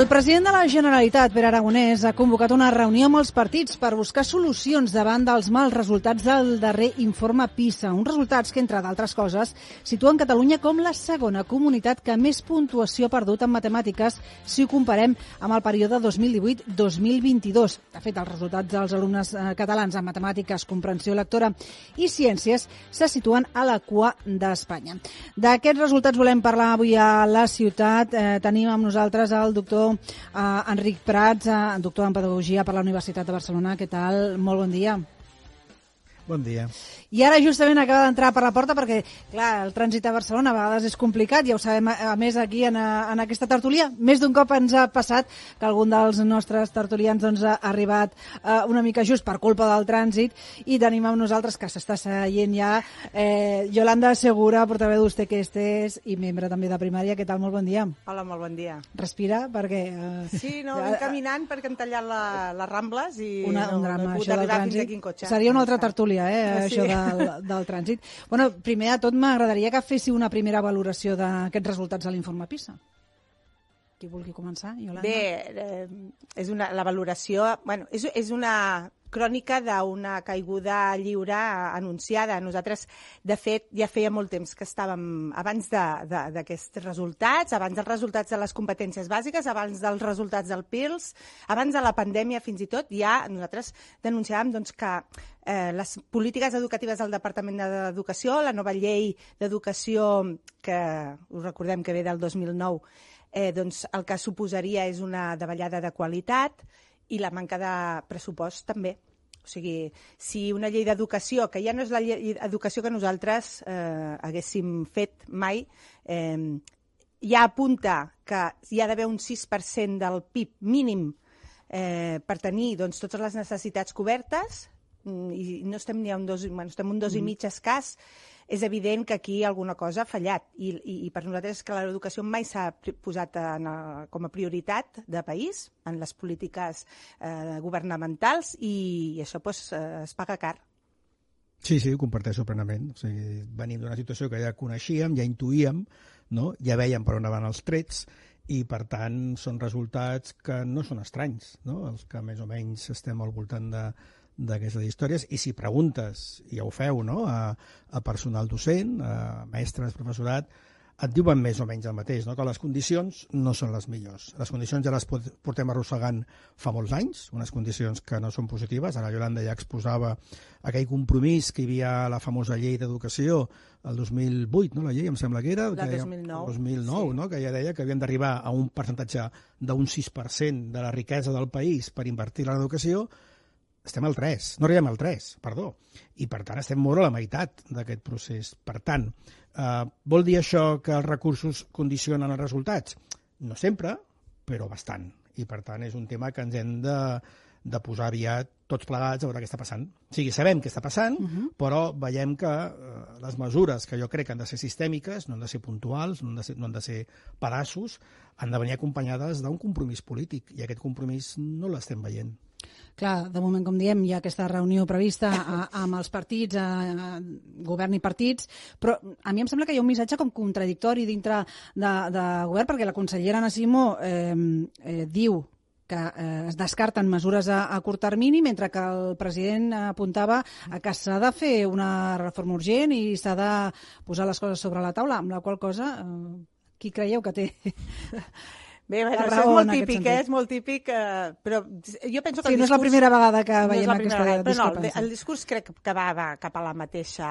El president de la Generalitat, Pere Aragonès, ha convocat una reunió amb els partits per buscar solucions davant dels mals resultats del darrer informe PISA. Uns resultats que, entre d'altres coses, situen Catalunya com la segona comunitat que més puntuació ha perdut en matemàtiques si ho comparem amb el període 2018-2022. De fet, els resultats dels alumnes catalans en matemàtiques, comprensió lectora i ciències se situen a la cua d'Espanya. D'aquests resultats volem parlar avui a la ciutat. Tenim amb nosaltres el doctor Enric Prats, doctor en Pedagogia per la Universitat de Barcelona. Què tal? Molt bon dia. Bon dia. I ara justament acaba d'entrar per la porta perquè, clar, el trànsit a Barcelona a vegades és complicat, ja ho sabem, a més aquí en aquesta tertúlia. Més d'un cop ens ha passat que algun dels nostres tertulians ha arribat una mica just per culpa del trànsit, i tenim amb nosaltres, que s'està seient ja, Yolanda Segura, portaveu d'Ustequestes i membre també de Primària. Què tal? Molt bon dia. Hola, molt bon dia. Respira, perquè... Sí, no, anem caminant perquè hem tallat les Rambles i un drama, no he pogut això del arribar fins trànsit. aquí en cotxe. Seria una altra tertúlia, Sí. això del trànsit. Bueno, primer de tot m'agradaria que féssiu una primera valoració d'aquests resultats de l'informe PISA. Qui vulgui començar, Yolanda? Bé, la valoració... Bueno, és una crònica d'una caiguda lliure anunciada. Nosaltres, de fet, ja feia molt temps que estàvem abans d'aquests resultats, abans dels resultats de les competències bàsiques, abans dels resultats del PIRLS, abans de la pandèmia fins i tot, ja nosaltres denunciàvem que les polítiques educatives del Departament d'Educació, la nova llei d'educació, que us recordem que ve del 2009, el que suposaria és una davallada de qualitat i la manca de pressupost també. O sigui, si una llei d'educació, que ja no és la llei d'educació que nosaltres haguéssim fet mai, ja apunta que hi ha d'haver un 6% del PIB mínim per tenir totes les necessitats cobertes, i no estem ni a un 2,5, estem un 2,5 escàs, és evident que aquí alguna cosa ha fallat. I per nosaltres és que l'educació mai s'ha posat com a prioritat de país en les polítiques governamentals, i això es paga car. Sí, ho comparteixo plenament. O sigui, venim d'una situació que ja coneixíem, ja intuïem, no? Ja veiem per on van els trets, i per tant són resultats que no són estranys, no? Els que més o menys estem al voltant d'aquestes històries. I si preguntes, i ja ho feu, no?, a personal docent, a mestres, professorat, et diuen més o menys el mateix, no?, que les condicions no són les millors. Les condicions ja les portem arrossegant fa molts anys, unes condicions que no són positives. Ara Yolanda ja exposava aquell compromís que hi havia a la famosa llei d'educació el 2008, no?, la llei, em sembla que era... La 2009. 2009, sí. No?, que ja deia que havien d'arribar a un percentatge d'un 6% de la riquesa del país per invertir en l'educació. Estem al 3, no arribem al 3, perdó, i per tant estem molt a la meitat d'aquest procés. Per tant, vol dir això que els recursos condicionen els resultats? No sempre, però bastant, i per tant és un tema que ens hem de posar aviat tots plegats a veure què està passant. O sigui, sabem què està passant, però veiem que les mesures, que jo crec que han de ser sistèmiques, no han de ser puntuals, no han de ser pedaços, han de venir acompanyades d'un compromís polític, i aquest compromís no l'estem veient. Clar, de moment, com diem, hi ha aquesta reunió prevista amb els partits, govern i partits, però a mi em sembla que hi ha un missatge com contradictori dintre de govern, perquè la consellera Anna Simó diu que es descarten mesures a curt termini, mentre que el president apuntava a que s'ha de fer una reforma urgent i s'ha de posar les coses sobre la taula, amb la qual cosa, qui creieu que té... Bé, això és molt típic, però jo penso que sí, no és la primera vegada que veiem aquesta discrepància. No, el discurs crec que va cap al mateix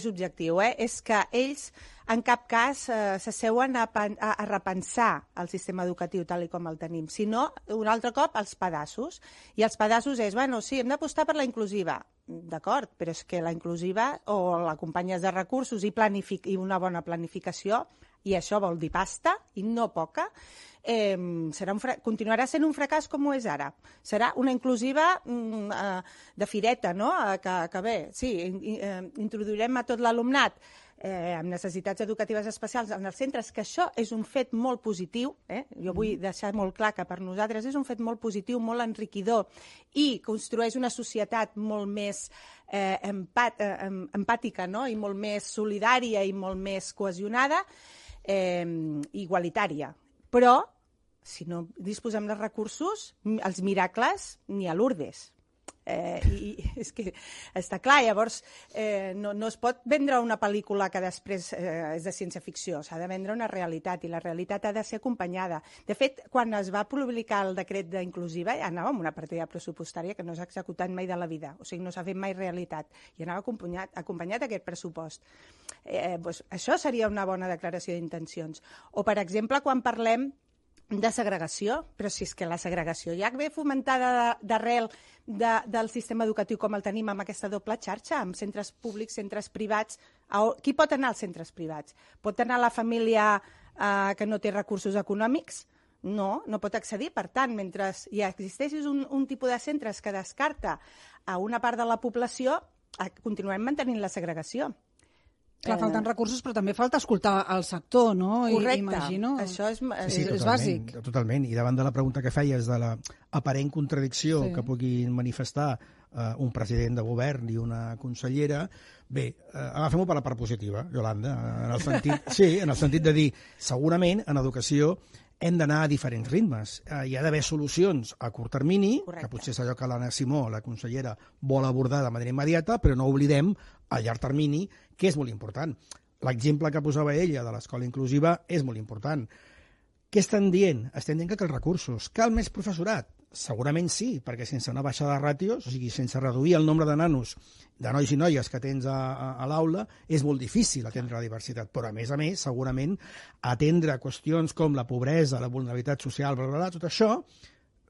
objectiu. És que ells en cap cas s'asseuen a repensar el sistema educatiu tal com el tenim, sinó un altre cop els pedaços. I els pedaços és, sí, hem d'apostar per la inclusiva. D'acord, però és que la inclusiva o l'acompanyes de recursos i una bona planificació, i això vol dir pasta, i no poca, continuarà sent un fracàs com ho és ara. Serà una inclusiva de fireta, no?, que bé, sí, introduirem a tot l'alumnat amb necessitats educatives especials en els centres, que això és un fet molt positiu, jo vull deixar molt clar que per nosaltres és un fet molt positiu, molt enriquidor, i construeix una societat molt més empàtica, no?, i molt més solidària i molt més cohesionada, igualitària. Però, si no disposem de recursos, els miracles ni a Lourdes. I és que està clar, llavors no es pot vendre una pel·lícula que després és de ciència-ficció, s'ha de vendre una realitat i la realitat ha de ser acompanyada. De fet, quan es va publicar el decret d'inclusiva ja anava amb una partida pressupostària que no s'ha executat mai de la vida, o sigui, no s'ha fet mai realitat i anava acompanyat aquest pressupost. Doncs això seria una bona declaració d'intencions. O, per exemple, quan parlem de segregació, però si és que la segregació ja ve fomentada d'arrel del sistema educatiu com el tenim amb aquesta doble xarxa, amb centres públics, centres privats. Qui pot anar als centres privats? Pot anar la família que no té recursos econòmics? No pot accedir. Per tant, mentre hi existeixi un tipus de centres que descarta a una part de la població, continuem mantenint la segregació. Clar, falten recursos, però també falta escoltar el sector, no? Correcte. Imagino. Això és bàsic. Totalment. I davant de la pregunta que feies de l'aparent contradicció que puguin manifestar un president de govern i una consellera, bé, agafem-ho per la part positiva, Yolanda, en el sentit de dir, segurament, en educació, hem d'anar a diferents ritmes. Hi ha d'haver solucions a curt termini, que potser és allò que l'Anna Simó, la consellera, vol abordar de manera immediata, però no oblidem a llarg termini, que és molt important. L'exemple que posava ella de l'escola inclusiva és molt important. Què estan dient? Estem dient que cal recursos. Cal més professorat? Segurament sí, perquè sense una baixada de ràtios, o sigui, sense reduir el nombre de nanos, de nois i noies que tens a l'aula, és molt difícil atendre la diversitat. Però, a més, segurament, atendre qüestions com la pobresa, la vulnerabilitat social, tot això,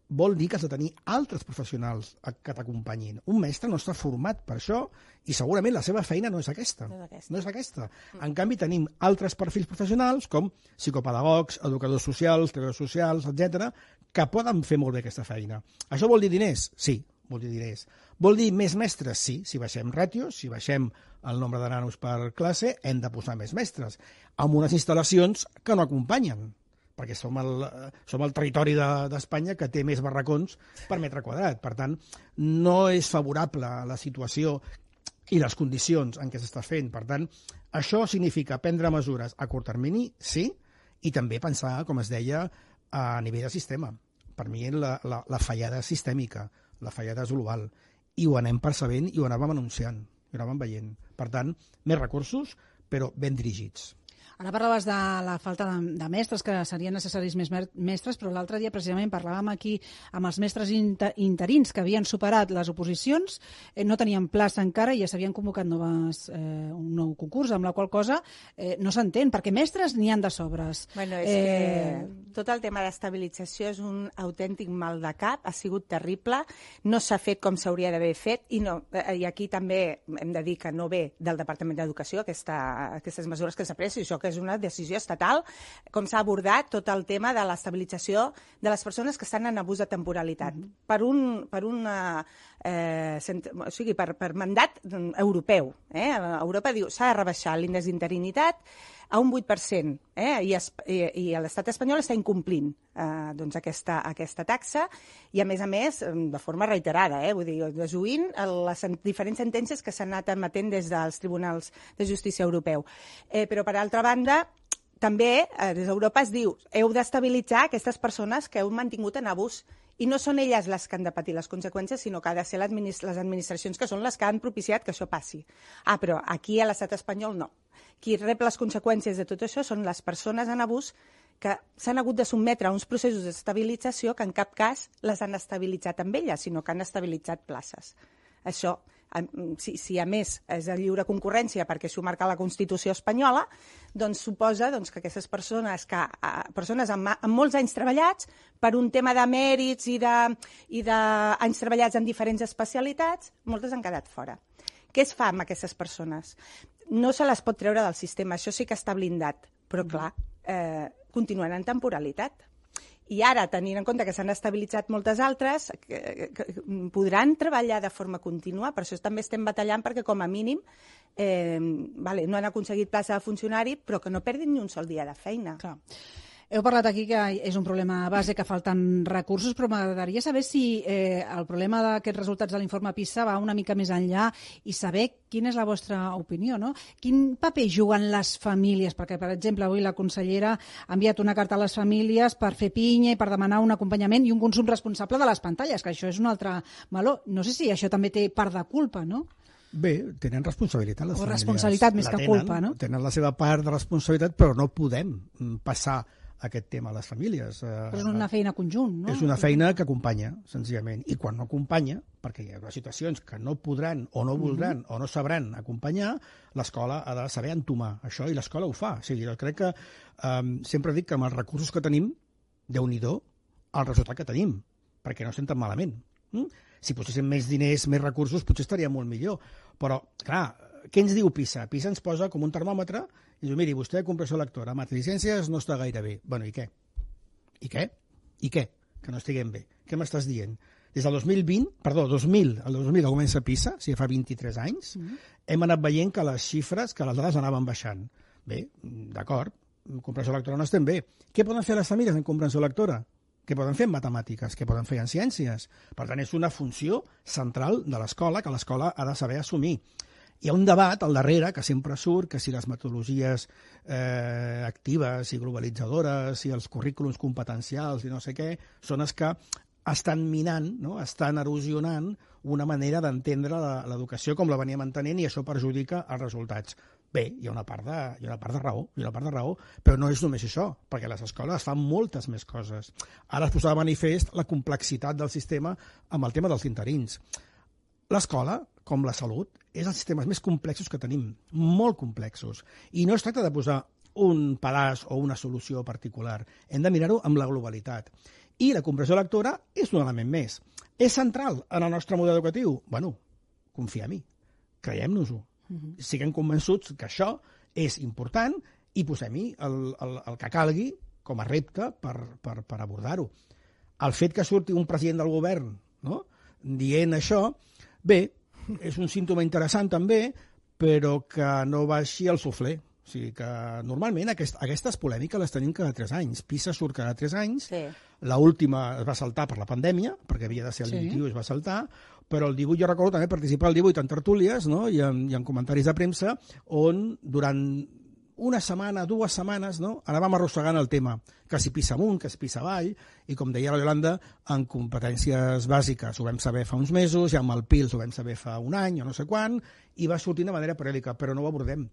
vol dir que has de tenir altres professionals que t'acompanyin. Un mestre no està format per això i segurament la seva feina no és aquesta. No és aquesta. En canvi, tenim altres perfils professionals com psicopedagogs, educadors socials, treballadors socials, etc., que poden fer molt bé aquesta feina. Això vol dir diners? Sí, vol dir diners. Vol dir més mestres? Sí. Si baixem ràtios, si baixem el nombre de nanos per classe, hem de posar més mestres, amb unes instal·lacions que no acompanyen, perquè som el territori d'Espanya que té més barracons per metre quadrat. Per tant, no és favorable la situació i les condicions en què s'està fent. Per tant, això significa prendre mesures a curt termini, sí, i també pensar, com es deia, a nivell de sistema. Per mi la fallada sistèmica, la fallada és global, i ho anem percebent i ho anàvem anunciant, ho anàvem veient. Per tant, més recursos, però ben dirigits. Ara parlaves de la falta de mestres, que serien necessaris més mestres, però l'altre dia precisament parlàvem aquí amb els mestres interins que havien superat les oposicions, no tenien plaça encara i ja s'havien convocat un nou concurs, amb la qual cosa no s'entén, perquè mestres n'hi han de sobres. Bueno, és que tot el tema d'estabilització és un autèntic mal de cap, ha sigut terrible, no s'ha fet com s'hauria d'haver fet, i aquí també hem de dir que no ve del Departament d'Educació aquestes mesures que s'ha pres, i això que és una decisió estatal, com s'ha abordat tot el tema de l'estabilització de les persones que estan en abús de temporalitat. Per mandat europeu. Europa diu s'ha de rebaixar l'índex d'interinitat a un 8%, i l'estat espanyol està incomplint aquesta taxa, i a més, de forma reiterada, vull dir, desoint les diferents sentències que s'han anat emetent des dels tribunals de justícia europeu. Però, per altra banda, també des d'Europa es diu heu d'estabilitzar aquestes persones que heu mantingut en abús, i no són elles les que han de patir les conseqüències, sinó que ha de ser les administracions que són les que han propiciat que això passi. Però aquí a l'estat espanyol no. Qui rep les conseqüències de tot això són les persones en abús que s'han hagut de sotmetre a uns processos d'estabilització que en cap cas les han estabilitzat amb elles, sinó que han estabilitzat places. Això, si a més és de lliure concurrència perquè s'ho marca la Constitució espanyola, doncs suposa que aquestes persones amb molts anys treballats, per un tema de mèrits i d'anys treballats en diferents especialitats, moltes han quedat fora. Què es fa amb aquestes persones? No se les pot treure del sistema, això sí que està blindat, però clar, continuen en temporalitat. I ara, tenint en compte que s'han estabilitzat moltes altres, podran treballar de forma contínua, per això també estem batallant perquè, com a mínim, no han aconseguit plaça de funcionari, però que no perdin ni un sol dia de feina. Clar. Heu parlat aquí que és un problema base, que falten recursos, però m'agradaria saber si el problema d'aquests resultats de l'informe PISA va una mica més enllà i saber quina és la vostra opinió, no? Quin paper juguen les famílies? Perquè, per exemple, avui la consellera ha enviat una carta a les famílies per fer pinya i per demanar un acompanyament i un consum responsable de les pantalles, que això és un altre meló. No sé si això també té part de culpa, no? Bé, tenen responsabilitat les famílies. O responsabilitat més que culpa, no? Tenen la seva part de responsabilitat, però no podem passar aquest tema a les famílies. Però és una feina conjunt, no? És una feina que acompanya, senzillament. I quan no acompanya, perquè hi haurà situacions que no podran o no voldran o no sabran acompanyar, l'escola ha de saber entomar això, i l'escola ho fa. O sigui, jo crec que sempre dic que amb els recursos que tenim, Déu-n'hi-do, el resultat que tenim, perquè no estem tan malament. Si poséssim més diners, més recursos, potser estaria molt millor. Però, clar, què ens diu PISA? PISA ens posa com un termòmetre i diu, miri, vostè de comprensió lectora, mates i ciències no està gaire bé. Bueno, i què? I què? I què? Que no estiguem bé. Què m'estàs dient? Des del 2020, perdó, 2000, el 2000 que comença PISA, o sigui, fa 23 anys, hem anat veient que les xifres, que les dades anaven baixant. Bé, d'acord, en comprensió lectora no estem bé. Què poden fer les famílies en comprensió lectora? Què poden fer en matemàtiques? Què poden fer en ciències? Per tant, és una funció central de l'escola que l'escola ha de saber assumir. Hi ha un debat al darrere que sempre surt, que si les metodologies actives i globalitzadores i els currículums competencials i no sé què, són els que estan minant, no? Estan erosionant una manera d'entendre l'educació com la venia mantenint, i això perjudica els resultats. Bé, hi ha una part de raó, però no és només això, perquè les escoles fan moltes més coses. Ara es posava de manifest la complexitat del sistema amb el tema dels interins. L'escola, com la salut, és els sistemes més complexos que tenim, molt complexos. I no es tracta de posar un pedaç o una solució particular. Hem de mirar-ho amb la globalitat. I la comprensió lectora és un element més. És central en el nostre model educatiu? Bueno, confiem-hi, creiem-nos-ho. Siguem convençuts que això és important i posem-hi el que calgui com a repte per abordar-ho. El fet que surti un president del govern, no?, dient això, bé, és un símptoma interessant també, però que no baixi el suflé. O sigui que normalment aquestes polèmiques les tenim cada 3 anys. PISA surt cada 3 anys, sí. L'última es va saltar per la pandèmia, perquè havia de ser el 21 i es va saltar, però el 18 jo recordo també participar el 18 en tertúlies, no?, i en comentaris de premsa, on durant una setmana, 2 setmanes, no?, anàvem arrossegant el tema, que si PISA amunt, que si PISA avall, i com deia la Yolanda, en competències bàsiques ho vam saber fa uns mesos, i amb el PILS ho vam saber fa un any o no sé quan, i va sortint de manera periòdica, però no ho abordem.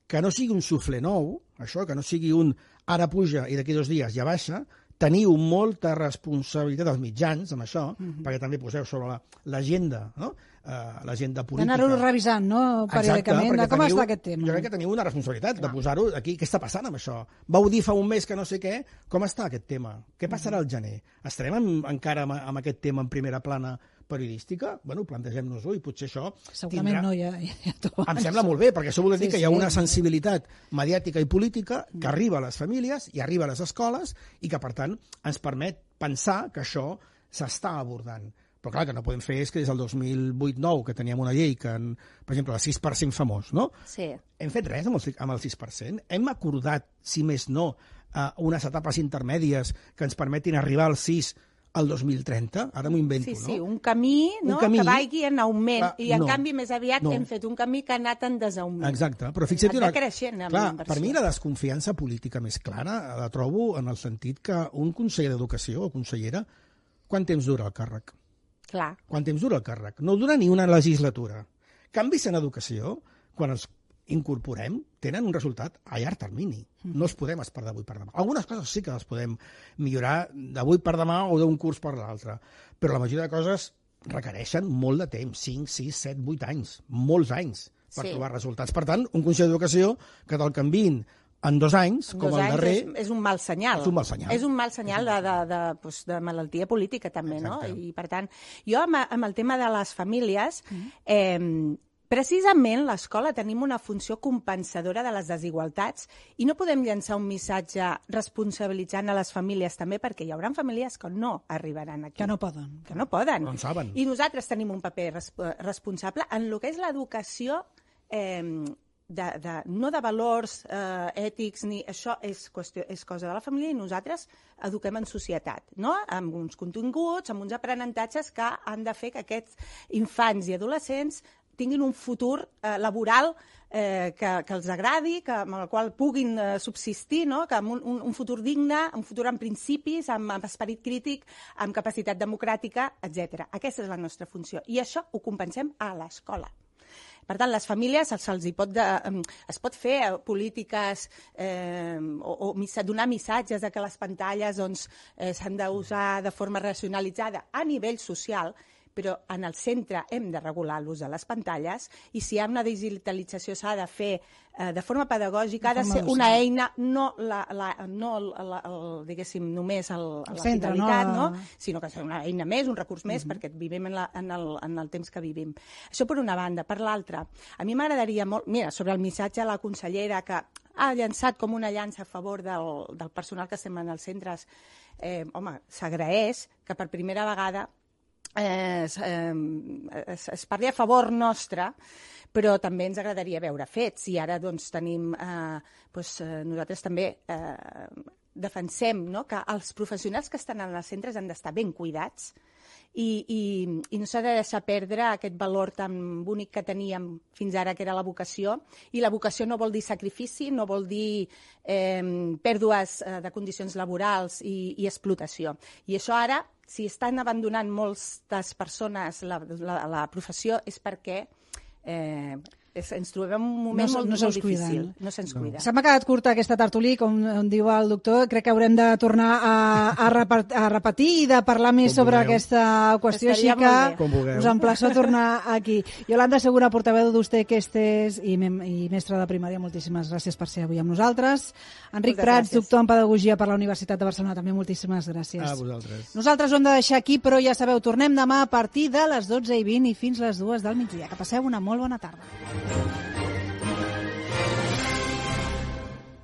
Que no sigui un suflé nou, això, que no sigui un ara puja i d'aquí 2 dies ja baixa, teniu molta responsabilitat als mitjans amb això, perquè també poseu sobre l'agenda, no?, l'agenda política. D'anar-ho revisant, no?, periòdicament, de com està aquest tema. Jo crec que teniu una responsabilitat de posar-ho aquí. Què està passant amb això? Vau dir fa un mes que no sé què, com està aquest tema? Què passarà al gener? Estarem encara amb aquest tema en primera plana periodística? Bueno, plantegem-nos-ho i potser això segurament no, ja em sembla molt bé, perquè això vol dir que hi ha una sensibilitat mediàtica i política que arriba a les famílies i arriba a les escoles i que, per tant, ens permet pensar que això s'està abordant. Però clar, que no podem fer és que des del 2008-9, que teníem una llei que, per exemple, el 6% famós, no? Sí. Hem fet res amb el 6%? Hem acordat, si més no, unes etapes intermèdies que ens permetin arribar al 6 al 2030? Ara m'ho invento, no? Sí, un camí, no?, que vagi en augment. I, en canvi, més aviat hem fet un camí que ha anat en desaugment. Exacte, però fixa't... creixent amb la inversió. Per mi la desconfiança política més clara la trobo en el sentit que un conseller d'Educació o consellera, quant temps dura el càrrec? Clar. Quant temps dura el càrrec? No dura ni una legislatura. Canvis en educació, quan els incorporem, tenen un resultat a llarg termini. No els podem esperar d'avui per demà. Algunes coses sí que les podem millorar d'avui per demà o d'un curs per l'altre, però la majoria de coses requereixen molt de temps, 5, 6, 7, 8 anys, molts anys per trobar resultats. Per tant, un Consell d'Educació que te'l canviïn en 2 anys, com el darrer... És un mal senyal. És un mal senyal. És un mal senyal de malaltia política, també, exacte, no? I, per tant, jo amb el tema de les famílies, precisament l'escola tenim una funció compensadora de les desigualtats i no podem llançar un missatge responsabilitzant a les famílies també, perquè hi haurà famílies que no arribaran aquí. Que no poden. Que no poden. No en saben. I nosaltres tenim un paper responsable en el que és l'educació no de valors ètics, ni això és cosa de la família, i nosaltres eduquem en societat, no? Amb uns continguts, amb uns aprenentatges que han de fer que aquests infants i adolescents tinguin un futur laboral que els agradi, amb el qual puguin subsistir, no? Que amb un futur digne, un futur amb principis, amb esperit crític, amb capacitat democràtica, etc. Aquesta és la nostra funció. I això ho compensem a l'escola. Per tant, les famílies es pot fer polítiques o donar missatges de que les pantalles s'han d'usar de forma racionalitzada a nivell social, però en el centre hem de regular l'ús de les pantalles, i si hi ha una digitalització s'ha de fer de forma pedagògica, ha de ser una eina, no diguéssim, només la finalitat, sinó que és una eina més, un recurs més, perquè vivim en el temps que vivim. Això per una banda. Per l'altra, a mi m'agradaria molt... Mira, sobre el missatge a la consellera, que ha llançat com una llança a favor del personal que estem en els centres, home, s'agraeix que per primera vegada es parli a favor nostre, però també ens agradaria veure fets, i ara tenim, nosaltres també defensem que els professionals que estan en els centres han d'estar ben cuidats i no s'ha de deixar perdre aquest valor tan bonic que teníem fins ara, que era la vocació, i la vocació no vol dir sacrifici, no vol dir pèrdues de condicions laborals i explotació. I això ara, si estan abandonant moltes persones la professió, és perquè ens trobem en un moment molt difícil. No se'ns cuida. Se m'ha quedat curta aquesta tertúlia, com diu el doctor. Crec que haurem de tornar a repetir i de parlar més sobre aquesta qüestió, així que us emplaço a tornar aquí. Yolanda Segura, portaveu d'Ustec-Estes i mestra de primària, moltíssimes gràcies per ser avui amb nosaltres. Enric Prats, doctor en Pedagogia per la Universitat de Barcelona, també moltíssimes gràcies. A vosaltres. Nosaltres ho hem de deixar aquí, però ja sabeu, tornem demà a partir de les 12:20 i fins les 2 del migdia. Que passeu una molt bona tarda.